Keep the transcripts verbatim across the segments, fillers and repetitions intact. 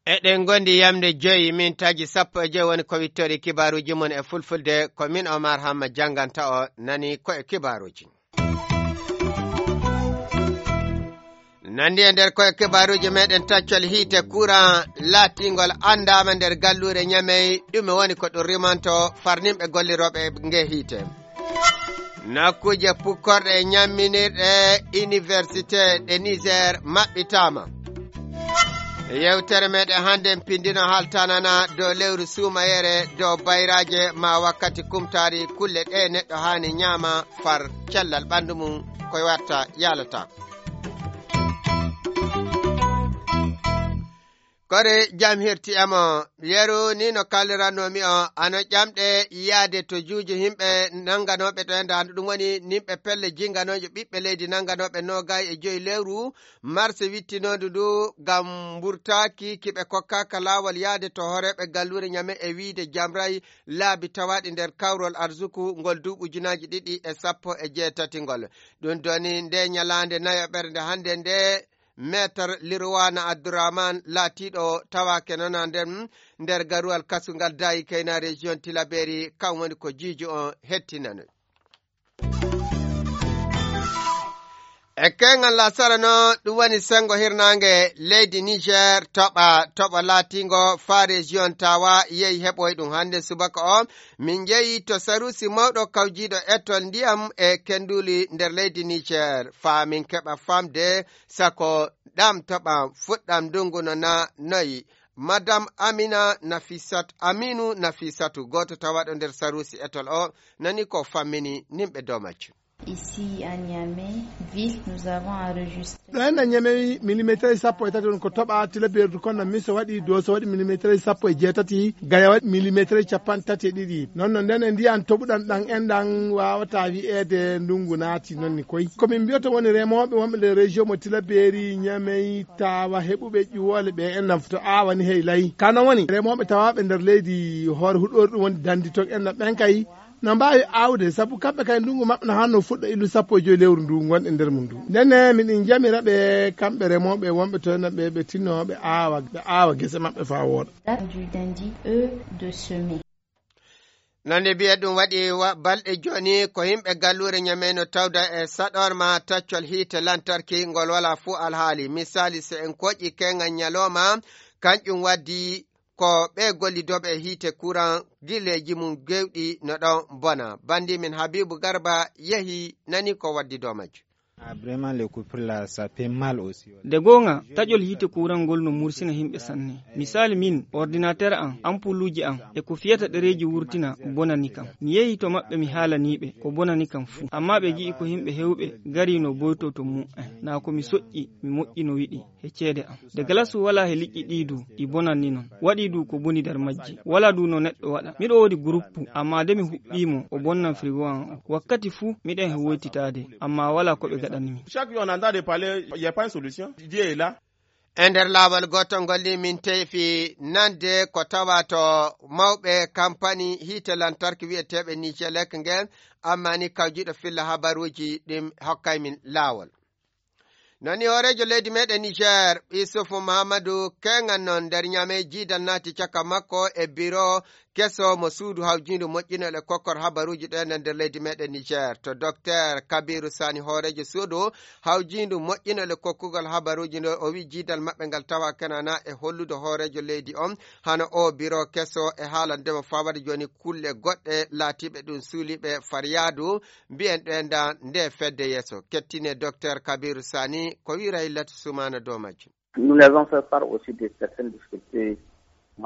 Eɗen ngondi yamde joyi, min taji sappo e joyi woni ko wittori kibaaruuji mum e fulfulde. Ko min Omar Hamma jannganta o, nani ko e kibaaruuji. Nandi e nder ko e kibaaruuji meɗen, taccol hiite courant laatingol anndaama nder galluure Ñamey, ɗume woni ko ɗum rimanto farnimɓe gollirooɓe nge hiite? Nokkuuje pukkorɗe e ñamminirɗe université ɗe Niger maɓɓitaama. Yewtere meɗen hannde en pindino haltanana dow lewru suumayere, dow bayraaje ma wakkati kumtaari kulle ɗe neɗɗo haani ñaama far cellal ɓanndu mum ko watta yaalata. Kore jam hirti emo, yeru ni no kallirannomi o, ano ƴamɗe yaade to juuji yimɓe nannganooɓe to e ndaandu, ɗum woni nimɓe pelle jinnganooje ɓiɓɓe leydi nannganooɓe noogay e joyi lewru marse wittinondu ndu ngam mburtaaki kiɓe kokkaaka laawol yaade to hooreeɓe galluure Ñame e wiide jamray laabi tawaaɗi nder kawrol arsuku ngol duuɓi ujunaaji ɗiɗi e sappo e jeetati ngol. Ɗum doni nde ñalaande nayoɓere nde hannde nde, Maître Lirwana Abdourahmane laatiiɗo tawaake nana nden nder garuwal kasungal Dayi Kayna région Tilaberi, kam woni ko jiijo on hettinano. E keŋal lasara no ɗum woni sengo hirnaange leydi Niger toɓa, toɓo laatingo fa région Tawa yehi heɓoy ɗum hannde subaka o. Min jeyi to sarusi mawɗo kawjiiɗo etol ndiyam e kenduli nder leydi Niger, faa min keɓa famde sako ɗam toɓa fuɗɗam ndungu no na noyi. Madame Amina Nafisat, Aminu Nafisatu, gooto tawaɗo nder sarusi etol o, nani ko fammini nimɓe dow majjum. Ici à Niamey, ville, nous avons enregistré. Ɗo en Niamey, millimetre sappo e tati woni ko toɓa, Tilaberu kono miso waɗi, Doso waɗi millimetre sappo e jeetati, Gaya waɗi millimetre capanɗe tati e ɗiɗi. Non no nden e ndiyan toɓuɗan ɗan en ɗan wawata wi'eede ndungu naati non ni koy. Ko min mbiyoto woni remooɓe wonɓe nder région mo Tilaberi, Niamey, Tawa heɓuɓe ƴuwole ɓe en ɗan to awani hey lay. Kano woni remooɓe tawaaɓe nder leydi hoore huɗoori ɗum woni dandi ton en ɗan ɓen kay no mbaawi aawde, sabu kamɓe kay ndunngu maɓɓe no haanno fuɗɗo illu sappo e joyi lewru ndu ngonɗen nder mum ndu. Ndenne miɗen njamira ɓe, kamɓe remooɓe wonɓe to ena ɓe, ɓe tinnoo ɓe aawa, ɓe aawa gese maɓɓe faa wooɗa. Date du dandi, eux, de semer. Nande mbiye ɗum waɗi wa-, balɗe jooni ko yimɓe galluure Ñamey no tawda e saɗorma taccol hiite lantarki ngol walaa fuu alhaali. Misaali, so en koƴi keŋal ñalooma, kanƴum waddi ko ɓe gollidooɓe e hiite kuran gileeji mum gewɗi no ɗon bona. Bandi min Habibu Garba yehi nani ko waddi dow majjum. Ah, vraiment, le coupure là, ça fait mal aussi. Nde goonga, taƴol hiite kuran ngol no mursina yimɓe sanne. Misaali min, ordinateur am, ampuluuji am, e ko fiyata ɗereeji wurtina bonani kam. Mi yehi to maɓɓe mi haalanii ɓe ko bonani kam fuu. Amma ɓe ngi'i ko yimɓe heewɓe ngari no boyto to mum en. Naa ko mi soƴƴi, mi moƴƴi no yiɗi. He ceede am. De galas walaa he liƴƴi ɗii du, ɗi bonanni non. Waɗii du ko boni nder majji. Walaa du no neɗɗo waɗa. Miɗo woodi groupe, amma de mi huɓɓii mo, o bonnan frigo am o. Wakkati fuu, miɗen he woytitaade, amma walaa ko ɓe gaɗani mi. Chaque jour, on entend de parler, il y a pas une solution. Dieu est là. E nder laawol gootol ngol ni min teefi nande ko tawa to mawɓe kampani hiite lantarki wi'eteeɓe Nijelek ngen, amma ni kawjiiɗo filla habaruuji ɗin hokkay min laawol. Nani hooreejo leydi meɗen Niger, Isufu Mahamadou Kengan non nder Ñamey jiidal naati caka makko e biro keso mo suudu hawjiindu moƴƴinol e kokkor habaruuji ɗen e nder leydi meɗen Niger. To Docteur Kabiru Sani hooreejo suudu hawjiindu moƴƴinol e kokkugol habaruuji ndo, o wi jiidal maɓɓe ngal tawa kenana e hollude hooreejo leydi on hano o biro keso e haalandema fawade jooni kulle goɗɗe laatiiɓe ɗum suuliiɓe fariyaadu mbiyen ɗen da nde fedde yeeso. Kettine Docteur Kabiru Sani ko wi Raylatu Sumana dow majjum. Nous les avons fait part aussi de certaines difficultés.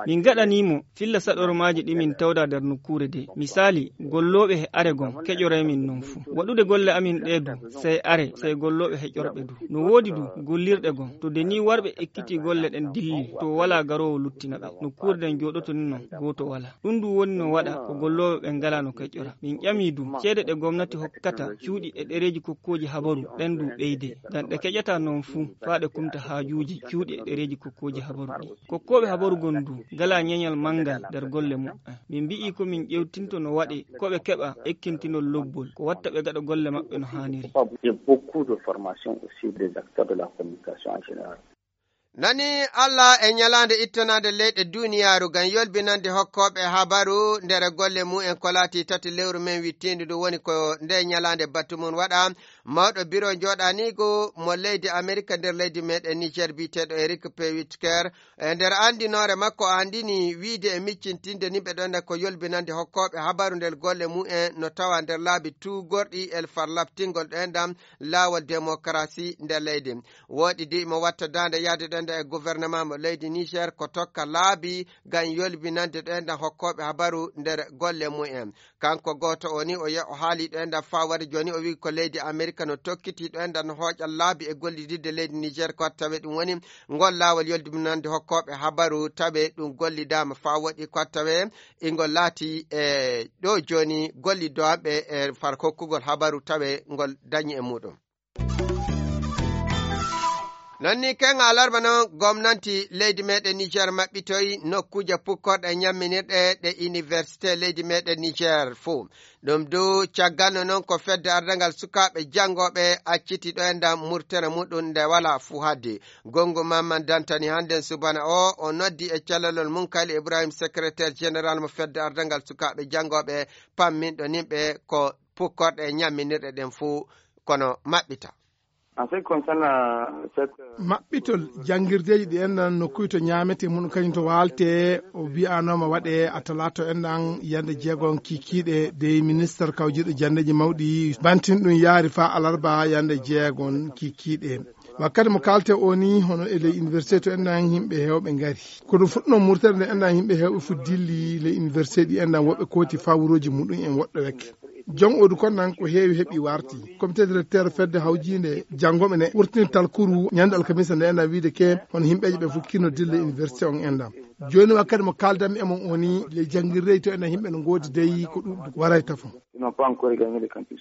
Min gaɗanii mo filla saɗormaaji ɗi min tawda nder nokkuure de. Misaali, gollooɓe he are gon keƴoray min non fuu. Waɗude golle amin ɗe du, sey are, sey gollooɓe heƴorɓe du. No woodi du gollirɗe gon. To de ni warɓe ekkitii golle ɗen dilli, to walaa garoowo luttina ɓe. Nokkuure den jooɗoto ni non, gooto walaa. Ɗum du woni no waɗa ko gollooɓe ɓen ngalaa no keƴora. Min ƴamii du ceede ɗe gomnati hokkata cuuɗi e ɗereeji kokkooji habaru ɗen du ɓeyde. Ngam ɗe keƴataa non fuu faa ɗe kumta haajuuji cuuɗi e ɗereeji kokkooji habaru ɗi. Kokkooɓe habaru gon du Ngalaa ñeñal manngal nder golle muɓɓen. Min mbi'ii ko min ƴeewtinto no waɗi ko ɓe keɓa ekkintinol lobbol, ko watta ɓe ngaɗa golle maɓɓe no haaniri. Il y a beaucoup de formations aussi des acteurs de la communication en général. Nani Allah e ñalaande ittanaande leyɗe duniyaaru ngam yolbinande hokkooɓe habaru nder golle mumen ko laati tati lewru men wittiindu ndu woni ko nde ñalaande batu mum waɗa. Mawɗo biro jooɗaniigu mo leydi Amerika nder leydi meɗen Niger biyeteeɗo Eric P. Whitaker, e nder anndinoore makko, anndini wiide e miccintinde nimɓe ɗon ko yolbinande hokkooɓe habaru nder golle mumen no tawa nder laabi tuugorɗi e far labtingol ɗo enɗam laawol demokarasi nder leydi. Wooɗi de imo watta daande yahde ɗo enɗam e gouvernement mo leydi Niger ko tokka laabi ngam yolbinande ɗo enɗam hokkooɓe habaru nder golle mumen. Kanko gooto o ni o ye-, o haali ɗo enɗam faa wari jooni o wi ko leydi Amerika no tokkiti ɗo enɗam no hooƴa laabi e gollididde leydi Niger ko tawe ɗum woni ngol laawol yolbinande hokkooɓe habaru tawe ɗum gollidaama faa woɗi ko tawe ingol laati e ɗo jooni gollidooɓe e far hokkugol habaru tawe ngol dañi e muɗum. Non ni ken alarba non gomnanti leydi meɗen Niger maɓɓitoy nokkuuje pukkorɗe ñamminirɗe ɗe université leydi meɗen Niger fuu. Ɗum du cagganno non ko fedde ardangal sukaaɓe janngooɓe acciti ɗo enɗam murtere muɗum nde walaa fuu haddi. Gongo Mamman Dantani hannden subana o, o noddi e calalol mum Kayli Ibrahim, secrétaire général mo fedde ardangal sukaaɓe janngooɓe, pamminɗo nimɓe ko pukkorɗe e ñamminirɗe ɗen fuu kono maɓɓita. En ce qui concerne, euh, cette, euh, maɓɓitol janngirdeeji ɗi enɗan nokkuy to ñaamete mum kañum to waalte, o wiyanooma waɗe a talaato enɗan yande jeegon kikiiɗe dey ministre kawjiiɗo janndeeji mawɗi bantin ɗum yaari faa alarba yande jeegon kikiiɗe. Wakkati mo kaalte o ni hono e ley université to enɗan yimɓe heewɓe ngari. Ko ɗum fuɗɗunoo murtere nde enɗan yimɓe heewɓe fu dilli ley université ɗi enɗan woɓɓe kooti fawruuji muɗum en woɗɗo wekke. Jom odu kon nan ko heewi heɓi warti. Comité directeur fedde hawjiinde janngooɓe ne wurtini talkuru ñande alkamisa nde enɗan wiide ke hono yimɓeeje ɓe fof kino dille université on enɗan. Jooni wakkati mo kaaldanmi e mon o ni le janngirrey to enɗan yimɓe no ngoodi dey ko ɗuɗɗo waray tafon. Ils n'ont pas encore gagné le campus.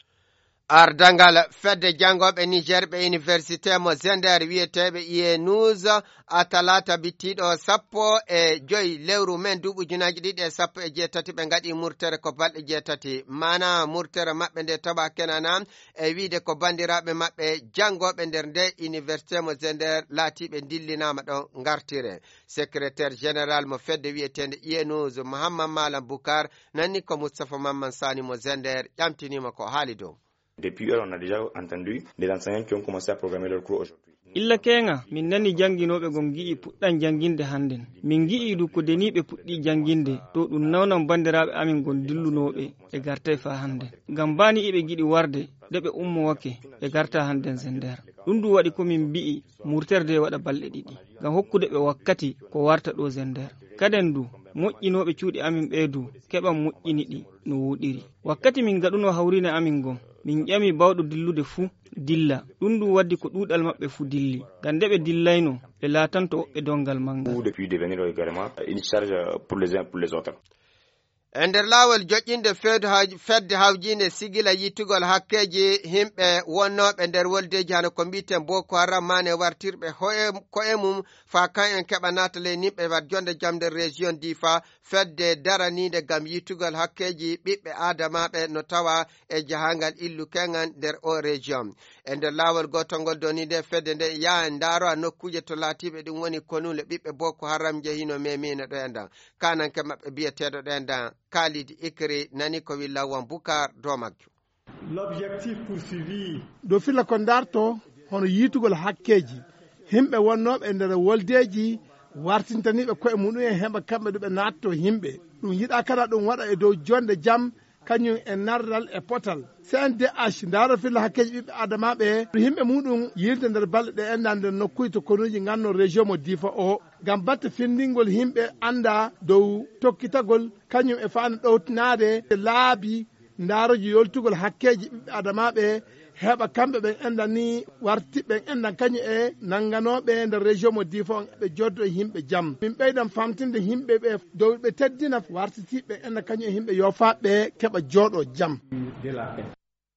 Ardangal fedde janngooɓe Niger ɓe université mo Zender wiyeteeɓe I E News a talaata bittiiɗo sappo e joy lewru men duuɓi ujunaaji ɗiɗi e sappo e jeetati ɓe ngaɗi murtere ko balɗe jeetati. Maana murtere maɓɓe nde tawa kenana e wiide ko banndiraaɓe maɓɓe janngooɓe nder nde université mo Zender laatiiɓe ndillinaama ɗon ngartire. Secrétaire général mo fedde wiyeteende I E News Mohammad Malam Bukar nanni ko Moustapha Mamman Sani mo Zender ƴamtiniima ko haali dow. Depuis hier, on a déjà entendu des enseignants qui ont commencé à programmer leurs cours aujourd'hui. Illa keeŋa, min nani jannginooɓe gom ngi'i puɗɗan jannginde hannden. Min ngi'i du ko deniiɓe puɗɗii jannginde, to ɗum nawnan banndiraaɓe amin gon dillunooɓe, ɓe gartay faa hannden. Ngam baa ni iɓe ngiɗi warde, de ɓe ummowake, ɓe garta hannden Zender. Ɗum du waɗi ko min mbi'i murterde waɗa balɗe ɗiɗi, ngam hokkude ɓe wakkati ko warta ɗo Zender. Kaden du, moƴƴinooɓe cuuɗi amin ɓee du, keɓan moƴƴini ɗi no wooɗiri. Wakkati min ngaɗunoo hawriine amin ngon, min ƴami baawɗo dillude fuu, dilla. Ɗum ɗum waddi ko ɗuuɗal maɓɓe fuu dilli. Ngam nde ɓe dillayno, ɓe laatanto woɓɓe donngal manngal. Ou depuis devenir également une charge pour les uns, pour les autres. E nder laawol joƴƴinde feedu haw-, fedde hawjiinde sigila yittugol hakkeeji yimɓe wonnooɓe nder woldeeji hano ko mbiiten Boko Haram maane wartirɓe hoye-, ko'e mum faa kan en keɓa naata ley nimɓe wat jonde jam nder région Difa, fedde daraniinde ngam yittugol hakkeeji ɓiɓɓe aadamaaɓe no tawa e jahangal illu keŋal nder o région. E nder laawol gootol ngol doni nde fedde nde yaha ndaaro nokkuuje to laatiiɓe ɗum woni konuule ɓiɓɓe Boko Haram njehino memino ɗo e ndan. Kananke maɓɓe biyeteeɗo ɗo e ndan Khalid Ikri nani ko wi Lawan Bukar dow majjum. L'objectif poursuivi. Ɗo filla ko darto hono yiitugol hakkeeji yimɓe wonnooɓe e nder woldeeji wartintaniiɓe koye muɗum en heɓa kamɓe ɗo ɓe naatto yimɓe. Ɗum yiɗaa kala ɗum waɗa e dow jonde jam kañum e nardal e potal. C N D H ndaaro filla hakkeeji ɓiɓɓe adamaaɓe ɗo yimɓe muɗum yiilde nder balɗe ɗe enɗan nder nokkuuji to konuuji nganno région mo Difa o. Ngam batte findingol yimɓe annda dow tokkitagol kañum e faande ɗowtinaade laabi ndaarooji yoltugol hakkeeji ɓiɓɓe adamaaɓe heɓa kamɓe ɓen enɗan ni warti ɓen enɗan kañum e nannganooɓe nder région mo Difa on ɓe joddo e yimɓe jam. Min ɓeydan famtinde yimɓe ɓe dow ɓe teddina wartitiiɓe enɗan kañum e yimɓe yoofaaɓe keɓa jooɗo jam.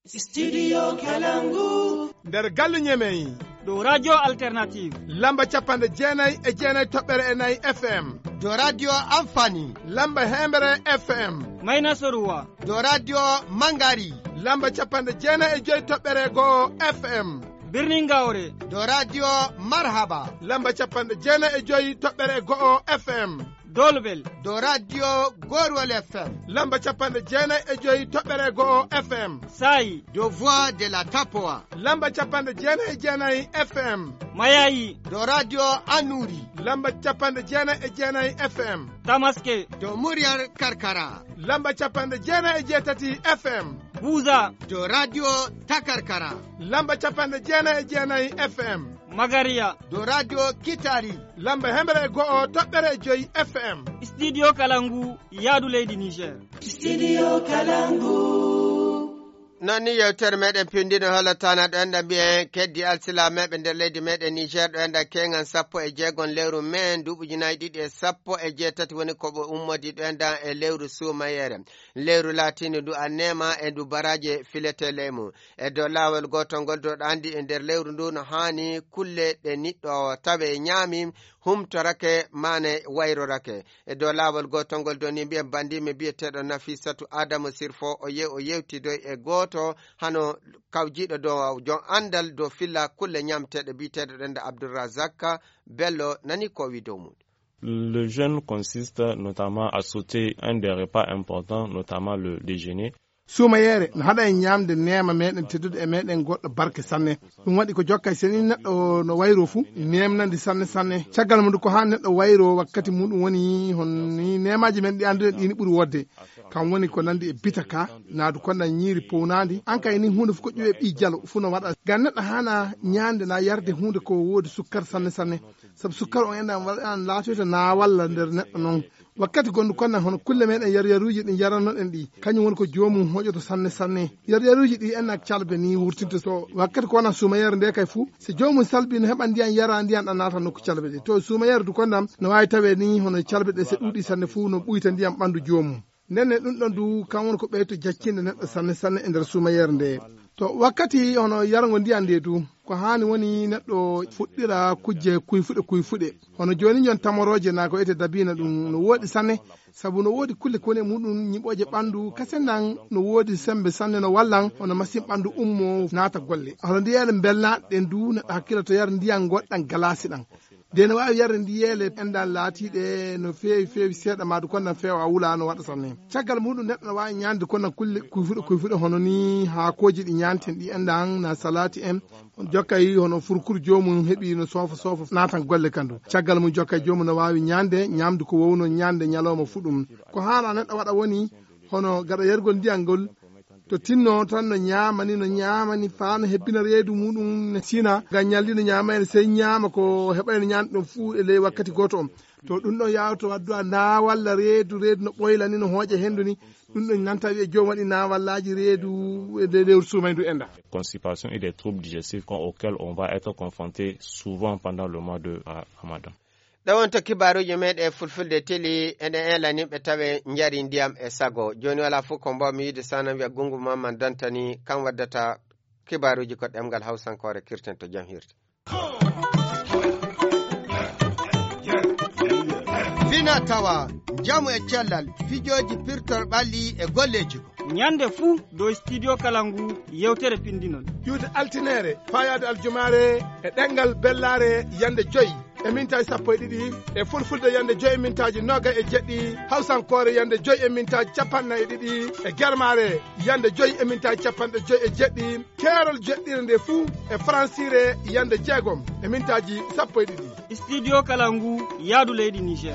Studio Kalangu. Nder gallu Ñemey. Dow Radio Alternative. Lamba capanɗe jeenayi e jeenayi toɓɓere e nayi F M. Dow Radio Amfani. Lamba heembere F M. Mayna Soruwa. Dow Radio Mangari. Lamba capanɗe jeenayi e joyi toɓɓere go'o F M. Birnin Gawre. Dow Radio Marhaba. Lamba capanɗe jeenayi e joyi toɓɓere go'o F M. Dolbel. Dow Radio Gorwal F M. Lamba capanɗe jeenayi e joyi toɓɓere go'o F M. Sayi. Dow Voix de la Tapoa. Lamba capanɗe jeenayi e jeenayi F M. Mayayi. Dow Radio Anuri. Lamba capanɗe jeenayi e jeenayi F M. Tamaske. Dow Muryar Karkara. Lamba capanɗe jeenayi e jeetati F M. Buza. Dow Radio Takarkara. Lamba capanɗe jeenayi e jeenayi F M. Magariya. Dow Radio Kitari. Lamba heembere e go'o toɓɓere e joyi F M. Studio Kalangu, yaadu leydi Niger. Studio Kalangu. Non ni yewtere meɗen pindino holotana ɗo enɗa mbiyen keddi alsilameɓe nder leydi meɗen Niger ɗo enɗa kengan sappo e jeegon lewru mai duuɓi ujunaaji ɗiɗi e sappo e jeetati woni ko ɓe ummodi ɗo enɗa e lewru suumayere. Lewru laatindi ndu a neema e ndu baraje filete leymu. E dow laawol gootol ngol dow ɗo anndi e nder lewru ndu no haani kulle ɗe niɗɗo tawe ñaami humtorake maane wayrorake. E dow laawol gootol ngol dow ni mbiyen banndiimi biyeteeɗo Nafisatu Adamu Sirfo o yew o yewtidoy e gooto hano kawjiiɗo dow jom anndal dow filla kulle ñaamteeɗe biyeteeɗo ɗen Abdulrazak Bello nani ko wi dow muɗum. Le jeûne consiste notamment à sauter un des repas importants, notamment le déjeuner. Suumayeere no haɗa en ñaamde neema meɗen teddude e meɗen goɗɗo barke sanne. Ɗum waɗi ko jokka e seni neɗɗo no wayro fuu, neemnandi sanne sanne. Caggal mum ko haa neɗɗo wayro wakkati muɗum woni hon ni neemaaji men ɗi annduɗen ɗi ni ɓuri wodde. Kam woni ko nandi e bitaka, naadu konda ñiiri pownaandi. An kay ni huunde fof ko ƴuwe ɓii jalo fuu no waɗa. Ngam neɗɗo haana ñaande na yarde huunde ko woodi sukkar sanne sanne. Sabu sukkar on enɗan waɗa an laatoyta na walla nder neɗɗo noon. Wakkati gonɗo konnan hono kulle meɗen yar yaruuji ɗi yarannoɗen ɗi, kañum woni ko joomum hoƴoto sanne sanne. Yar yaruuji ɗi enɗan calbe ni wurtinta so wakkati ko wona suumayere nde kay fuu, so joomum salbi no heɓa ndiyan yara ndiyan ɗan naata nokku calbe ɗe. To suumayere du konnan no waawi tawe ni hono calbe ɗe so ɗuuɗi sanne fuu no ɓuyta ndiyan ɓanndu joomum. Nden ne ɗum ɗon du kan woni ko ɓeyto jaccinde neɗɗo sanne sanne e nder suumayere nde. To wakkati hono yargo ndiyan nde du, ko haani woni neɗɗo fuɗɗira kujje kuyfuɗe kuyfuɗe. Hono jooni jon tamorooje na ko ete dabiina ɗum no woɗi sanne, sabu no woodi kulle ko woni e muɗum ñiɓooje ɓanndu, kasen nan no woodi sembe sanne no wallan hono masin ɓanndu ummo naata golle. Hono ndiyeele mbelnaaɗe ɗen du neɗɗo hakkilo to yar ndiyan goɗɗan galaasi ɗan. De no waawi yarde ndiyeele enɗan laatiiɗe no feewi feewi seeɗa maadu konnan feewa wula no waɗa sanne. Caggal muɗum neɗɗo no waawi ñaande konnan kulle kuyfuɗe kuyfuɗe hono ni haakooji ɗi ñaanten ɗi enɗan na salaati en. On jokkay hono furkuru joomum heɓi no soofa soofa naatan golle kandu. Caggal mum jokkay joomum no waawi ñaande ñaamdu ko wowno ñaande ñalooma fuɗum. Ko haana neɗɗo waɗa woni hono gaɗa yargol ndiyan ngol to tinno tan no ñaamani no ñaamani faa no hebbina reedu muɗum ne sina ngam ñalli no ñaama en sey ñaama ko heɓayno ñaande ɗon fuu e ley wakkati gooto on. To ɗum ɗon yawto waddu a na walla reedu reedu no ɓoyla ni no hooƴa hendu ni. Ɗum ɗon nanta wi'e joom waɗi na wallaaji reedu e nde lewru suumaydu enda. Constipation et des troubles digestifs auxquels on va être confronté souvent pendant le mois de Ramadan. Ɗo wonto kibaaruuji meeɗen fulfulde teli eɗen eelaniɓe tawe njari ndiyam e sago. Jooni walaa fof ko mbaawmi yiide sana wiya Gunngu Mamman Dantani kam waddata kibaaruuji ko ɗemngal Hawsankoore kirten to jam hirde. Fina tawa njamu e cellal fijooji pirtor ɓalli e golleeji ko. Ñande fuu dow studio kala ngu yewtere pinndinol. Ƴuwde altineere, faayaade aljumaare e ɗemngal bellaare yande joyi e mintaaji sappo e ɗiɗi, e fulfulde yande joyi e mintaaji noga e jeɗɗi, hawsankoore yande joyi e mintaaji capanɗe nayi e ɗiɗi, e germaare yande joyi e mintaaji capanɗe joyi e jeɗɗi, keerol jeɗɗire nde fuu e faransiire yande jeegom e mintaaji sappo e ɗiɗi. Studio kala ngu yaadu leydi Niger.